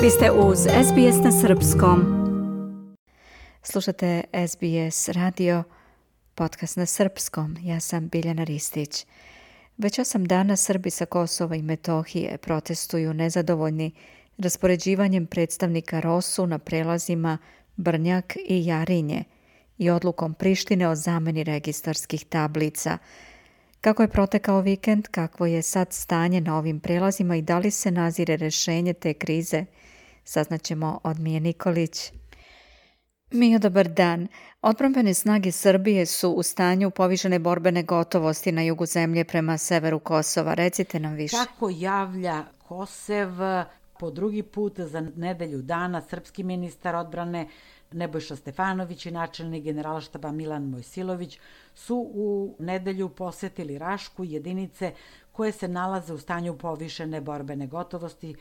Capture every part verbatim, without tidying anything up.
Vi ste uz S B S na srpskom. Slušate S B S radio, podcast na srpskom. Ja sam Biljana Ristić. Već osam dana Srbi sa Kosova i Metohije protestuju nezadovoljni raspoređivanjem predstavnika Rosu na prelazima Brnjak i Jarinje i odlukom Prištine o zameni registarskih tablica. Kako je protekao vikend, kakvo je sad stanje na ovim prelazima i da li se nazire rešenje te krize, saznaćemo od Mije Nikolić. Mio, dobar dan. Odbrambene snage Srbije su u stanju povišene borbene gotovosti na jugu zemlje prema severu Kosova. Recite nam više. Kako javlja Kosev, po drugi put za nedelju dana srpski ministar odbrane Nebojša Stefanović i načelnik generalštaba Milan Mojsilović su u nedelju posetili Rašku, jedinice koje se nalaze u stanju povišene borbene gotovosti.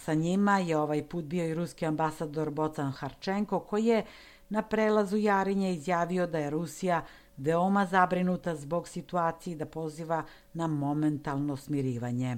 Sa njima je ovaj put bio i ruski ambasador Bocan Harčenko, koji je na prelazu Jarinje izjavio da je Rusija veoma zabrinuta zbog situacije i da poziva na momentalno smirivanje.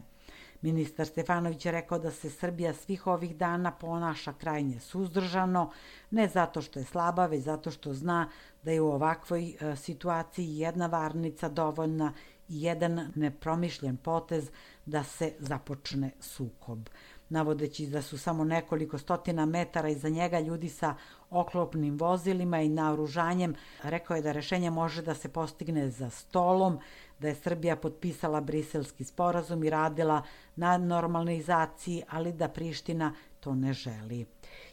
Ministar Stefanović je rekao da se Srbija svih ovih dana ponaša krajnje suzdržano, ne zato što je slaba, već zato što zna da je u ovakvoj situaciji jedna varnica dovoljna i jedan nepromišljen potez da se započne sukob. Navodeći da su samo nekoliko stotina metara iza njega ljudi sa oklopnim vozilima i naoružanjem, rekao je da rešenje može da se postigne za stolom, da je Srbija potpisala Briselski sporazum i radila na normalizaciji, ali da Priština to ne želi.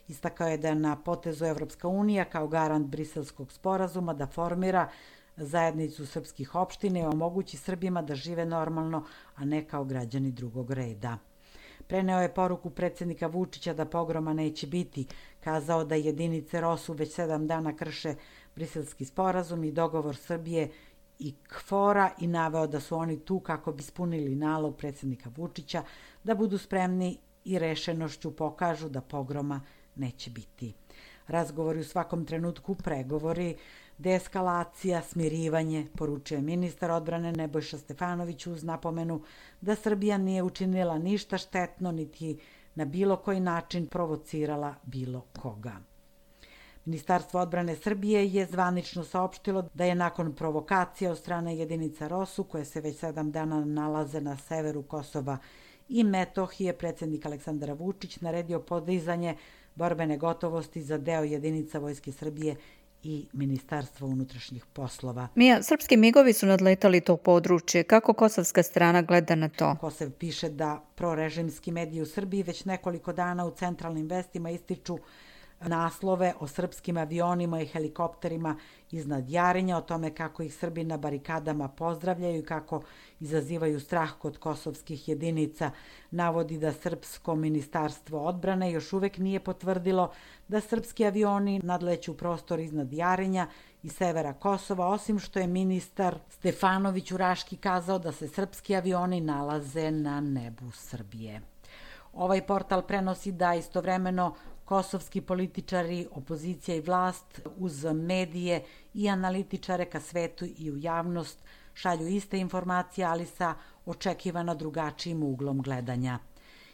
Istakao je da je na potezu Evropska unija kao garant Briselskog sporazuma da formira zajednicu srpskih opština i omogući Srbima da žive normalno, a ne kao građani drugog reda. Preneo je poruku predsjednika Vučića da pogroma neće biti, kazao da jedinice Rosu već sedam dana krše Briselski sporazum i dogovor Srbije i KFOR-a i naveo da su oni tu kako bi ispunili nalog predsjednika Vučića da budu spremni i rešenošću pokažu da pogroma neće biti. Razgovori u svakom trenutku, pregovori, deeskalacija, smirivanje, poručuje ministar odbrane Nebojša Stefanović uz napomenu da Srbija nije učinila ništa štetno niti na bilo koji način provocirala bilo koga. Ministarstvo odbrane Srbije je zvanično saopštilo da je nakon provokacija od strane jedinica Rosu, koje se već sedam dana nalaze na severu Kosova i Metohije, predsjednik Aleksandar Vučić naredio podizanje borbene gotovosti za deo jedinica Vojske Srbije i Ministarstvo unutrašnjih poslova. Mija, srpski migovi su nadletali to područje. Kako kosovska strana gleda na to? Kosev piše da prorežimski mediji u Srbiji već nekoliko dana u centralnim vestima ističu naslove o srpskim avionima i helikopterima iznad Jarinja, o tome kako ih Srbi na barikadama pozdravljaju i kako izazivaju strah kod kosovskih jedinica. Navodi da srpsko ministarstvo odbrane još uvek nije potvrdilo da srpski avioni nadleću prostor iznad Jarinja i severa Kosova, osim što je ministar Stefanović u Raški kazao da se srpski avioni nalaze na nebu Srbije. Ovaj portal prenosi da istovremeno kosovski političari, opozicija i vlast uz medije i analitičare ka svetu i u javnost šalju iste informacije, ali sa očekivano drugačijim uglom gledanja.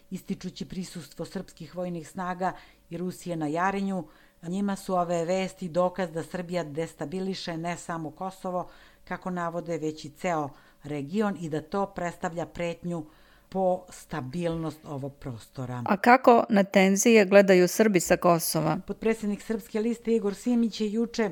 Ističući prisustvo srpskih vojnih snaga i Rusije na Jarinju, njima su ove vesti dokaz da Srbija destabiliše ne samo Kosovo, kako navode, već i ceo region i da to predstavlja pretnju po stabilnost ovog prostora. A kako na tenzije gledaju Srbi sa Kosova? Potpredsjednik Srpske liste Igor Simić je juče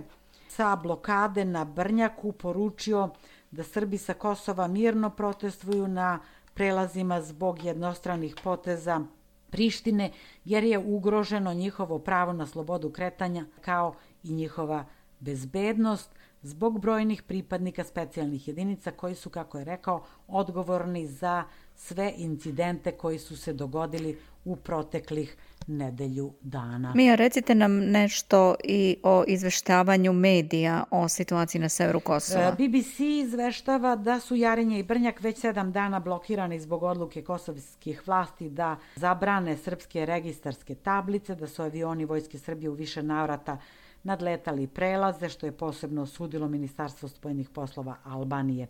sa blokade na Brnjaku poručio da Srbi sa Kosova mirno protestuju na prelazima zbog jednostranih poteza Prištine, jer je ugroženo njihovo pravo na slobodu kretanja kao i njihova bezbednost zbog brojnih pripadnika specijalnih jedinica koji su, kako je rekao, odgovorni za sve incidente koji su se dogodili u proteklih nedelju dana. Mija, recite nam nešto i o izveštavanju medija o situaciji na severu Kosova. B B C izveštava da su Jarinje i Brnjak već sedam dana blokirani zbog odluke kosovskih vlasti da zabrane srpske registarske tablice, da su avioni Vojske Srbije u više navrata nadletali prelaze, što je posebno osudilo Ministarstvo spoljnih poslova Albanije.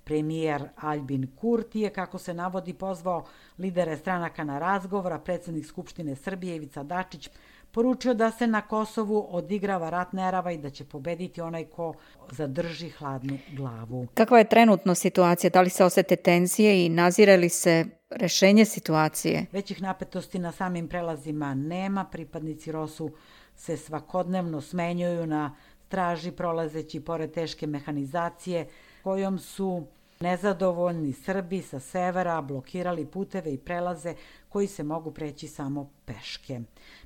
Premijer Aljbin Kurti je, kako se navodi, pozvao lidere stranaka na razgovor, a predsjednik Skupštine Srbije Ivica Dačić poručio da se na Kosovu odigrava rat nerava i da će pobediti onaj ko zadrži hladnu glavu. Kakva je trenutno situacija? Da li se osete tenzije i nazire li se rešenje situacije? Većih napetosti na samim prelazima nema. Pripadnici ROSU se svakodnevno smenjuju na straži prolazeći pored teške mehanizacije kojom su nezadovoljni Srbi sa severa blokirali puteve i prelaze koji se mogu preći samo peške.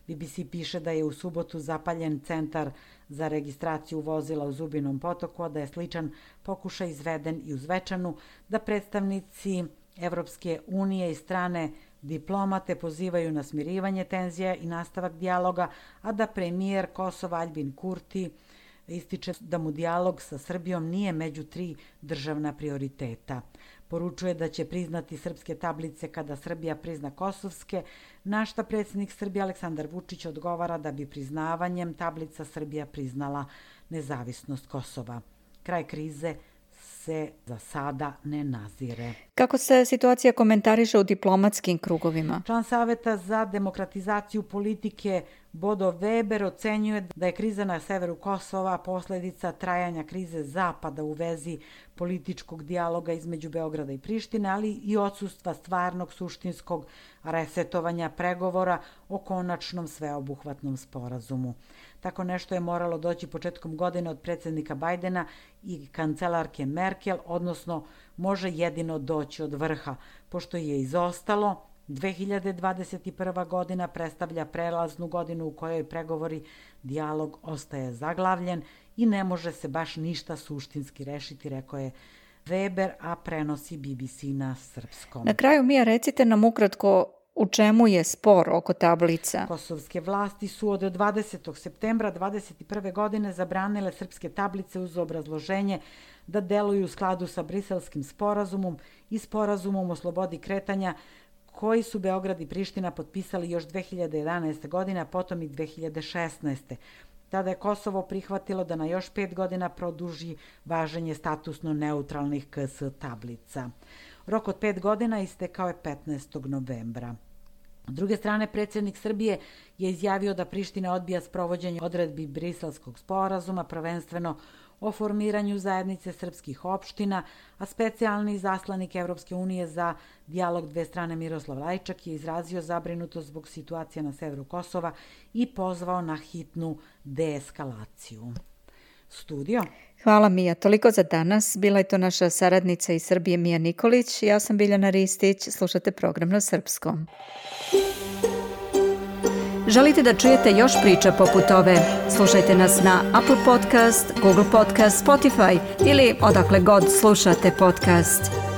B B C piše da je u subotu zapaljen centar za registraciju vozila u Zubinom Potoku, a da je sličan pokušaj izveden i u Zvečanu, da predstavnici Evropske unije i strane diplomate pozivaju na smirivanje tenzija i nastavak dijaloga, a da premijer Kosova Aljbin Kurti ističe da mu dijalog sa Srbijom nije među tri državna prioriteta. Poručuje da će priznati srpske tablice kada Srbija prizna kosovske, na šta predsjednik Srbije Aleksandar Vučić odgovara da bi priznavanjem tablica Srbija priznala nezavisnost Kosova. Kraj krize se za sada ne nazire. Kako se situacija komentariše u diplomatskim krugovima? Član Saveta za demokratizaciju politike Bodo Weber ocenjuje da je kriza na severu Kosova posledica trajanja krize Zapada u vezi političkog dijaloga između Beograda i Prištine, ali i odsustva stvarnog suštinskog resetovanja pregovora o konačnom sveobuhvatnom sporazumu. Tako nešto je moralo doći početkom godine od predsjednika Bajdena i kancelarke Merkel, odnosno može jedino doći od vrha, pošto je izostalo. dve hiljade dvadeset prva godina predstavlja prelaznu godinu u kojoj pregovori dijalog ostaje zaglavljen i ne može se baš ništa suštinski rešiti, rekao je Weber, a prenosi B B C na srpskom. Na kraju, Mija, recite nam ukratko u čemu je spor oko tablica. Kosovske vlasti su od dvadesetog septembra dvadeset prve godine zabranile srpske tablice uz obrazloženje da deluju u skladu sa Briselskim sporazumom i sporazumom o slobodi kretanja koji su Beograd i Priština potpisali još dve hiljade jedanaeste. godine, a potom i dve hiljade šesnaeste. Tada je Kosovo prihvatilo da na još pet godina produži važenje statusno neutralnih K S tablica. Rok od pet godina istekao je petnaestog novembra. S druge strane, predsjednik Srbije je izjavio da Priština odbija sprovođenje odredbi Briselskog sporazuma, prvenstveno o formiranju zajednice srpskih opština, a specijalni zaslanik Evropske unije za dijalog dve strane Miroslav Lajčak je izrazio zabrinutost zbog situacije na severu Kosova i pozvao na hitnu deeskalaciju. Studio. Hvala, Mija. Toliko za danas. Bila je to naša saradnica iz Srbije Mija Nikolić. Ja sam Biljana Ristić. Slušate program na srpskom. Želite da čujete još priča poput ove? Slušajte nas na Apple Podcast, Google Podcast, Spotify ili odakle god slušate podcast.